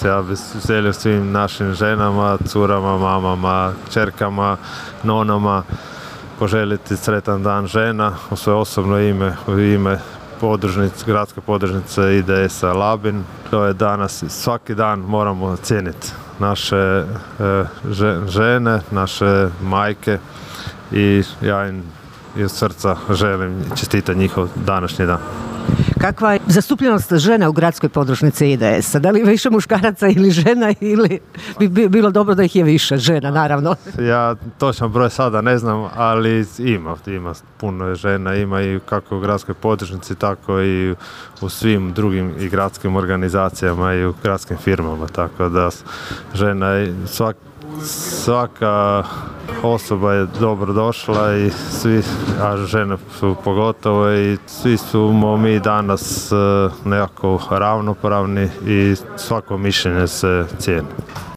Ja bih želio svim našim ženama, curama, mamama, čerkama, nonama poželjeti sretan dan žena u svoje osobno ime, u ime gradske podružnice IDS-a Labin. To je danas, svaki dan moramo cijeniti naše žene, naše majke i ja im iz srca želim čestitati njihov današnji dan. Kakva je zastupljenost žena u gradskoj podružnici IDS-a? Da li više muškaraca ili žena, ili bi bilo dobro da ih je više žena, naravno? Ja točan broj sada ne znam, ali ima puno žena, ima i kako u gradskoj podružnici, tako i u svim drugim i gradskim organizacijama i u gradskim firmama, tako da žena je svaka osoba je dobro došla i svi, a žene su pogotovo, i svi smo mi danas nekako ravnopravni i svako mišljenje se cijeni.